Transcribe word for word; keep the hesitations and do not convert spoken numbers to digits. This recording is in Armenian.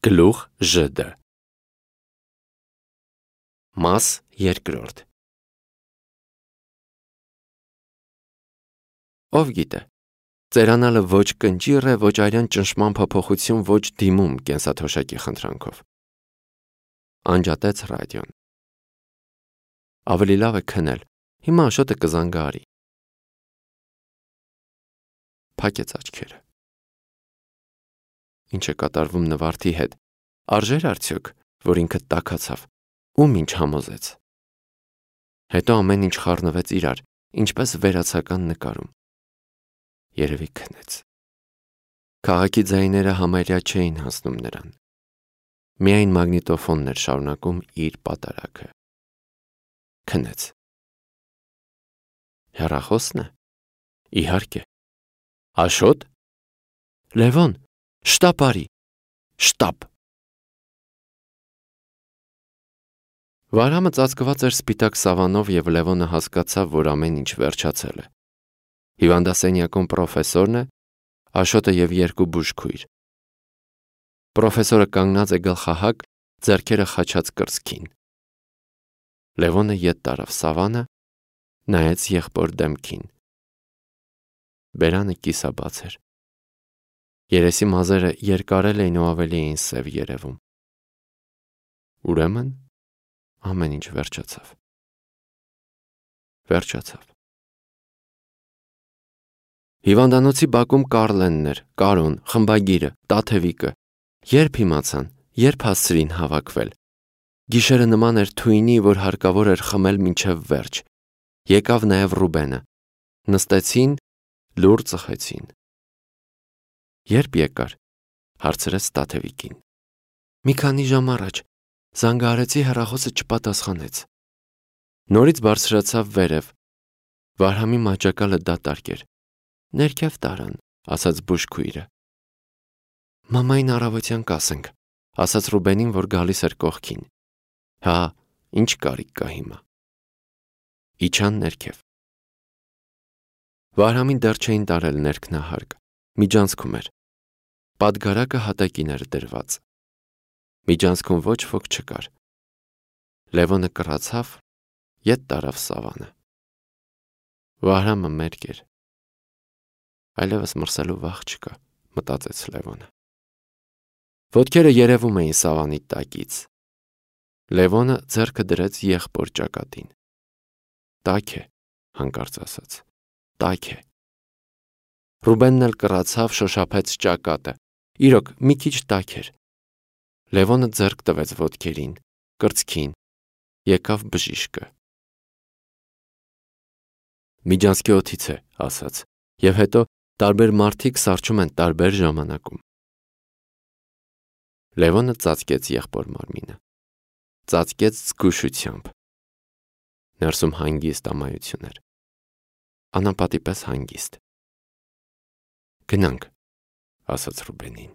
Գլուխ Ž. Մաս երկրորդ։ Ով գիտե, ծերանալը ոչ կնճիռ է, ոչ արյան ճնշման փոփոխություն, ոչ դիմում կենսաթոշակի խնդրանքով։ Անջատեց ռադիոն։ Ավելի լավ է քնել, հիմա Աշոտը կզանգարի։ Փակեց աչքերը։ Ինչ է կատարվում նվարդի հետ, արժեր արդյոք, որ ինքը տաքացավ, ում ինչ համոզեց։ Հետո ամեն ինչ խառնվեց իրար, ինչպես վերացական նկարում։ Երևի քնեց։ Քաղաքի ձայները համարյա չէին հասնում նրան։ Միայն մագնիտոֆոնն էր շարունակում իր պատարագը։ Քնեց։ Հեռախոսն է։ Իհարկե։ Աշոտ։ Լևոն, շտապ արի, շտապ։ Վարհամը ծածկված էր սպիտակ սավանով և Լևոնը հասկացավ, որ ամեն ինչ վերջացել է։ Հիվանդասենյակում պրոֆեսորն է, Աշոտը և երկու բուժքույր։ Պրոֆեսորը կանգնած է գլխահակ, ձեռքերը խաչած կրծքին։ Լևոնը ետ տարավ սավանը, նայեց եղբոր դեմքին։ Բերանը կիսաբաց էր։ Երեսի մազերը երկարել էին ու ավելի էին սև երևում։ Ուրեմն ամեն ինչ վերջացավ։ Վերջացավ։ Հիվանդանոցի բակում Կարլենն էր, Կարոն, խմբագիրը, Տաթևիկը։ Երբ իմացան, երբ հասցրին հավաքվել։ Գիշերը նման էր թույնի, որ հարկավոր էր խմել մինչև վերջ։ Եկավ նաև Ռուբենը։ Նստեցին, լուր ծխեցին։ Երբ եկար, հարցրեց Տաթևիկին։ Մի քանի ժամ առաջ, զանգահարեցի, հեռախոսը չպատասխանեց։ Նորից բարձրացավ վերև։ Վարհամի մահճակալը դատարկ էր։ Ներքև տարան, ասաց բուժքույրը։ Մամային առավոտյան կասենք, ասաց Ռուբենին, որ գալիս էր կողքին։ Հա, ինչ կարիք կա հիմա։ Իջան ներքև։ Վարհամին դեռ չէին տարել ներքնահարկ, միջանցքում էր։ Պատգարակը հատակին էր դրված։ Միջանցքում ոչ ոք չկար։ Լևոնը կռացավ, ետ տարավ սավանը։ Վարհամը մերկ էր։ Այլևս մրսելու վախ չկա, մտածեց Լևոնը։ Ոտքերը երևում էին սավանի տակից։ Լևոնը ձեռքը դրեց եղբոր ճակատին։ Տաք է, հանկարծ ասաց, տաք է։ Ռուբենն էլ կռացավ, շոշափեց ճակատը։ Իրոք, մի քիչ տաք էր։ Լևոնը ձեռք տվեց ոտքերին, կրծքին, եկավ բժիշկը։ Միջանցքի օդից է, ասաց, և հետո տարբեր մարդիկ սառչում են տարբեր ժամանակում։ Լևոնը ծածկեց եղբոր մարմինը։ Ծածկեց զգուշությամբ։ Ներսում հանգիստ ամայություն էր։ Անապատի պես հանգիստ։ Գնանք, ասաց Ռուբենին։